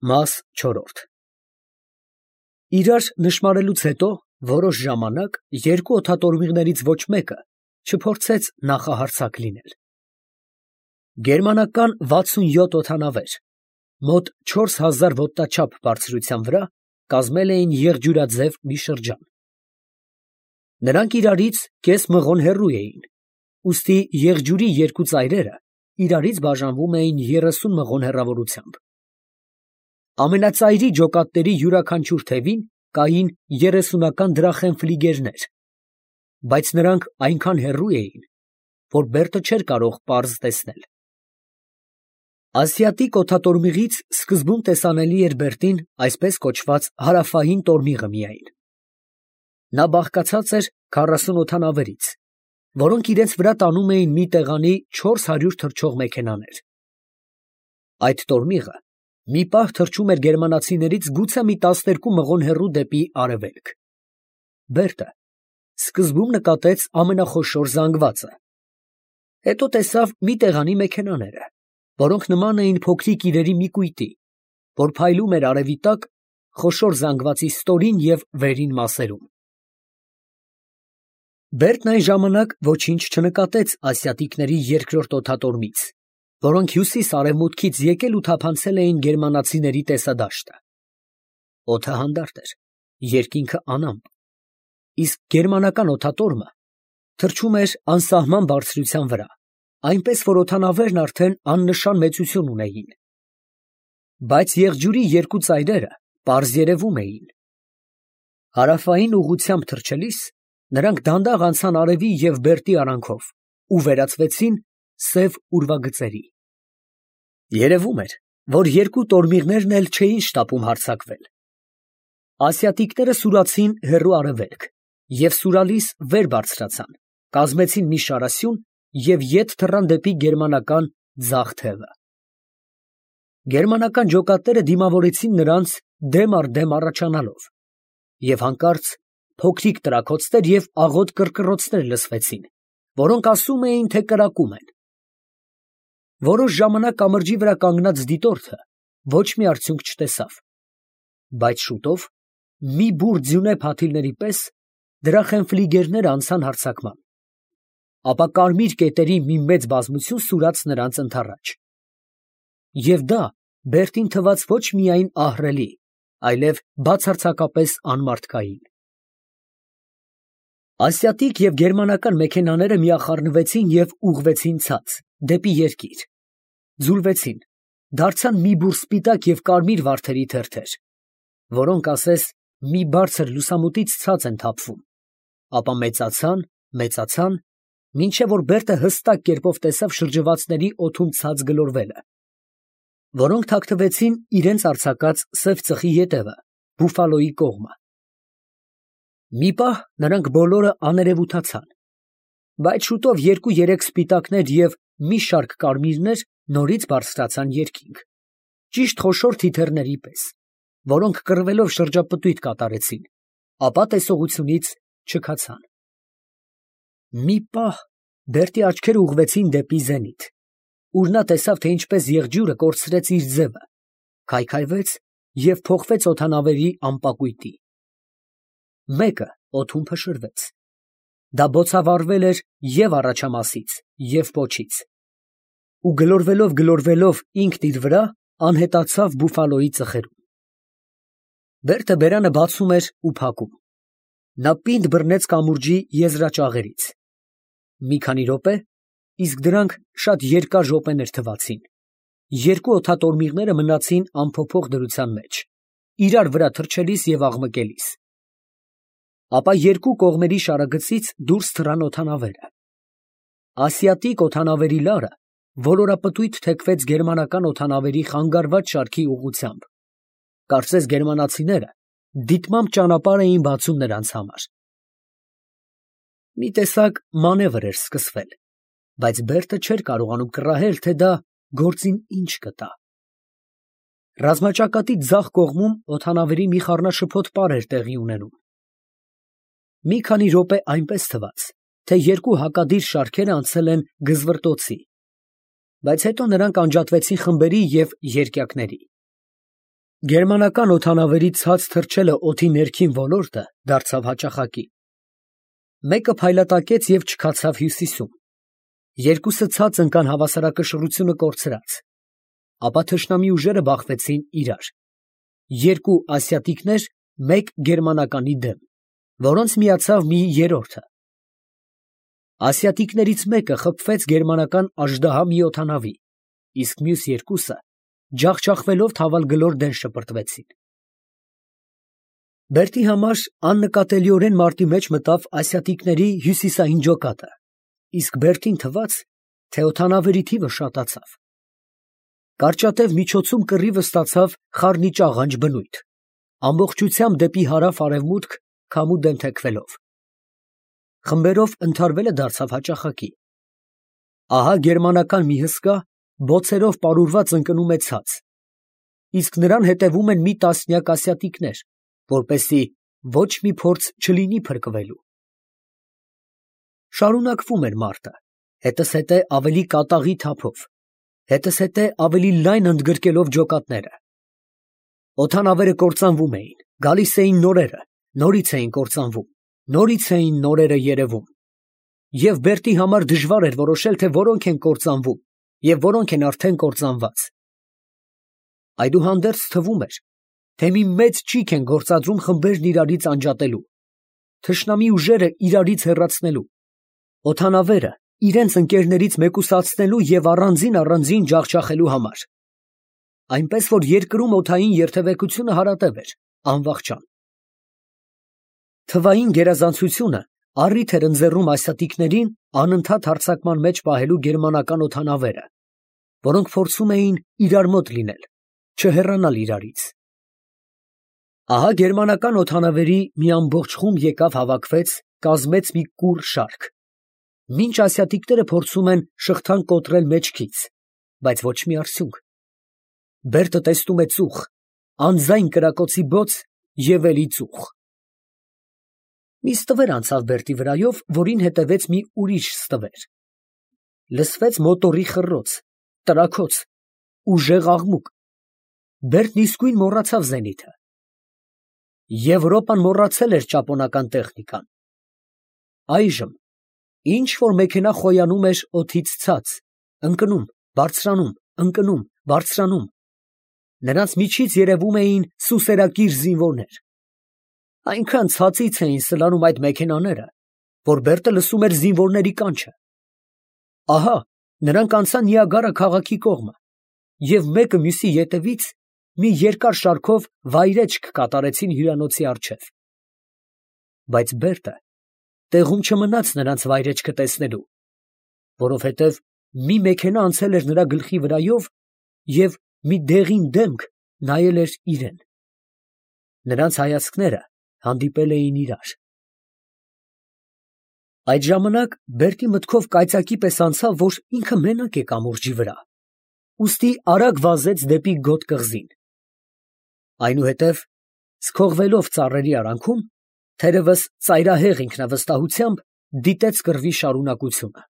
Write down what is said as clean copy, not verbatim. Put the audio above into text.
Մաս 4 Իրար նշմարելուց հետո որոշ ժամանակ երկու օդատորմիղներից ոչ մեկը չփորձեց նախահարձակ լինել։ Գերմանական 67 օդանավեր, մոտ 4000 ոտնաչափ բարձրության վրա, կազմել էին եղջյուրաձև մի շրջան։ Նրանք իրարից կես մղոն հեռու էին, ուստի եղջյուրի երկու ծայրերը իրարից բաժանվում էին 30 մղոն հեռավորությամբ։ Ամենածայրի ջոկատների յուրաքանչյուր թևին կային 30-ական դրախեն ֆլիգերներ, բայց նրանք այնքան հեռու էին, որ Բերտը չէր կարող պարզ տեսնել։ Ասիատիկ օդատորմիղից սկզբում տեսանելի էր Բերտին այսպես կոչված հարավային տորմիղը միայն։ Նա բաղկացած էր 40 օդանավերից, որոնք իրենց վրա տանում էին մի տեղանի 400 թռչող մեքենաներ։ Այդ տորմիղը մի պահ թռչում էր գերմանացիներից գուցե մի 12 մղոն հեռու դեպի արևելք։ Բերտը սկզբում նկատեց ամենախոշոր զանգվածը, հետո տեսավ մի տեղանի մեքենաները, որոնք նման էին փոքրիկ իրերի մի կույտի, որ փայլում էր արևի տակ խոշոր զանգվածի ստորին և վերին մասերում։ Բերտն այն ժամանակ ոչինչ չնկատեց ասիատիկների երկրորդ օդատորմից, որոնք հյուսիս֊արևմուտքից եկել ու թափանցել էին գերմանացիների տեսադաշտը։ Օդը հանդարտ էր, երկինքը անամպ, իսկ գերմանական օդատորմը թռչում էր անսահման բարձրության վրա, այնպես որ օդանավերն արդեն աննշան մեծություն ունեին։ Բայց եղջյուրի երկու ծայրերը պարզ երևում էին։ Հարավային ուղղությամբ թռչելիս նրանք դանդաղ անցան արևի և Բերտի արանքով ու վերածվեցին սև ուրվագծերի։ Երևում էր, որ երկու տորմիղներն էլ չէին շտապում հարձակվել։ Ասիատիկները սուրացին հեռու արևելք և սուրալիս վեր բարձրացան, կազմեցին մի շարասյուն և ետ թռան դեպի գերմանական ձախ թևը։ Գերմանական ջոկատները դիմավորեցին նրանց դեմ առ դեմ առաջանալով, և հանկարծ փոքրիկ տրաքոցներ և աղոտ կռկռոցներ լսվեցին, որոնք ասում էին, թե կրակում են։ Որոշ ժամանակ կամրջի վրա կանգնած դիտորդը ոչ մի արդյունք չտեսավ, բայց շուտով մի բուռ ձյունե փաթիլների պես դրախենֆլիգերները անցան հարձակման, ապա կարմիր կետերի մի մեծ բազմություն սուրաց նրանց ընդառաջ։ Եվ դա Բերտին թվաց ոչ միայն ահռելի, այլև բացարձակապես անմարդկային։ Ասիատիկ և գերմանական մեքենաները միախառնվեցին և ուղղվեցին ցած, դեպի երկիր, ձուլվեցին, դարձան մի բուռ սպիտակ և կարմիր վարդերի թերթեր, որոնք ասես մի բարձր լուսամուտից ցած են թափվում, ապա մեծացան, մինչև որ Բերտը հստակ կերպով տեսավ շրջվածների օդում ցած գլորվելը, որոնք թաքնվեցին իրենց արձակած սև ծխի ետևը, Բուֆալոյի կողմը։ Մի պահ նրանք բոլորը աներևութացան, բայց շուտով երկու-երեք սպիտակներ և մի շարք կարմիրներ նորից բարձրացան երկինք, ճիշտ խոշոր թիթեռների պես, որոնք կռվելով շրջապտույտ կատարեցին, ապա տեսողությունից չքացան։ Մի պահ Բերտի աչքերը ուղղվեցին դեպի զենիթ, ուր նա տեսավ, թե ինչպես եղջյուրը կորցրեց իր ձևը, քայքայվեց և փոխվեց օդանավերի ամպակույտի։ Մեկը օդում փշրվեց։ Դա բոցավառվել էր և առաջամասից, և պոչից, ու գլորվելով ինքն իր վրա անհետացավ Բուֆալոյի ծխերում։ Բերտը բերանը բացում էր ու փակում։ Նա պինդ բռնեց կամուրջի եզրաճաղերից։ Մի քանի րոպե, իսկ դրանք շատ երկար րոպեներ թվացին, երկու օդատորմիղները մնացին անփոփոխ դրության մեջ, իրար վրա թռչելիս և աղմկելիս։ Ապա երկու կողմերի շարագծից դուրս թռան օդանավերը։ Ասիատիկ օդանավերի լարը ոլորապտույտ թեքվեց գերմանական օդանավերի խանգարված շարքի ուղղությամբ, կարծես գերմանացիները դիտմամբ ճանապարհ էին բացում նրանց համար։ Մի տեսակ մանևր էր սկսվել, բայց Բերտը չէր կարողանում կռահել, թե դա գործին ինչ կտա։ Ռազմաճակատի ձախ կողմում օդանավերի մի խառնաշփոթ պար էր տեղի ունենում։ Մի քանի րոպե այնպես թվաց, թե երկու հակադիր շարքերը անցել են գզվռտոցի, բայց հետո նրանք անջատվեցին խմբերի և երկյակների։ Գերմանական օդանավերի ցած թռչելը օդի ներքին ոլորտը դարձավ հաճախակի։ Մեկը փայլատակեց և չքացավ հյուսիսում, երկուսը ցած ընկան հավասարակշռությունը կորցրած, ապա թշնամի ուժերը բախվեցին իրար. երկու ասիատիկներ մեկ գերմանականի դեմ, որոնց միացավ մի երրորդը։ Ասիատիկներից մեկը խփվեց գերմանական աժդահա մի օդանավի, իսկ մյուս երկուսը ջախջախվելով թավալգլոր դեն շպրտվեցին։ Բերտի համար աննկատելիորեն մարտի մեջ մտավ ասիատիկների հյուսիսային ջոկատը, իսկ Բերտին թվաց, թե օդանավերի թիվը շատացավ։ Կարճատև միջոցում կռիվը ստացավ խառնիճ աղանջ բնույթ, ամբողջությամբ դեպի հարավ֊արևմուտք քամու դեմ թեքվելով։ Խմբերով ընդհարվելը դարձավ հաճախակի։ Ահա գերմանական մի հսկա բոցերով պարուրված ընկնում է ցած, իսկ նրան հետևում են մի տասնյակ ասիատիկներ, որպեսզի ոչ մի փորձ չլինի փրկվելու։ Շարունակվում էր մարտը, հետզհետե ավելի կատաղի թափով, հետզհետե ավելի լայն ընդգրկելով ջոկատները։ Օդանավերը կործանվում էին, գալիս էին նորերը, նորից էին կործանվում, նորից էին նորերը երևում։ Եվ Բերտի համար դժվար էր որոշել, թե որոնք են կործանվում և որոնք են արդեն կործանված։ Այդուհանդերձ թվում էր, թե մի մեծ ճիգ են գործադրում խմբերն իրարից անջատելու, թշնամի ուժերը իրարից հեռացնելու, օդանավերը իրենց ընկերներից մեկուսացնելու և առանձին ջախջախելու համար, այնպես որ երկրում օդային երթևեկությունը հարատև էր, անվախճան։ Թվային գերազանցությունը առիթ էր ընձեռում ասիատիկներին անընդհատ հարձակման մեջ պահելու գերմանական օդանավերը, որոնք փորձում էին իրար մոտ լինել, չհեռանալ իրարից։ Ահա գերմանական օդանավերի մի ամբողջ խումբ եկավ հավաքվեց, կազմեց մի կուռ շարք, մինչ ասիատիկները փորձում են շղթան կոտրել մեջքից, բայց ոչ մի արդյունք։ Բերտը տեսնում է ծուխ, անձայն կրակոցի բոց և էլի ծուխ։ Մի ստվեր անցավ Բերտի վրայով, որին հետևեց մի ուրիշ ստվեր։ Լսվեց մոտորի խռոց, տրաքոց, ուժեղ աղմուկ։ Բերտն իսկույն մոռացավ զենիթը։ Եվրոպան մոռացել էր ճապոնական տեխնիկան։ Այժմ ինչ որ մեքենա խոյանում էր օդից ցած, ընկնում, բարձրանում, ընկնում, բարձրանում։ Նրանց միջից երևում էին սուսերակիր զինվորներ։ Այնքան ցածից էին սլանում այդ մեքենաները, որ Բերտը լսում էր զինվորների կանչը։ Ահա նրանք անցան Նիագարա քաղաքի կողմը և մեկը մյուսի ետևից մի երկար շարքով վայրէջք կատարեցին հյուրանոցի առջև։ Բայց Բերտը տեղում չմնաց նրանց վայրեջքը տեսնելու, որովհետև մի մեքենա անցել էր նրա գլխի վրայով և մի դեղին դեմք նայել էր իրան։ Նրանց հայացքները հանդիպել էին իրար։ Այդ ժամանակ Բերտի մտքով կայծակի պես անցավ, որ ինքը մենակ է կամուրջի վրա, ուստի արագ վազեց դեպի գոտ կղզին։ Այնուհետև, սքողվելով ծառերի արանքում, թերևս ծայրահեղ ինքնավստահությամբ դիտեց կռվի շարունակությունը։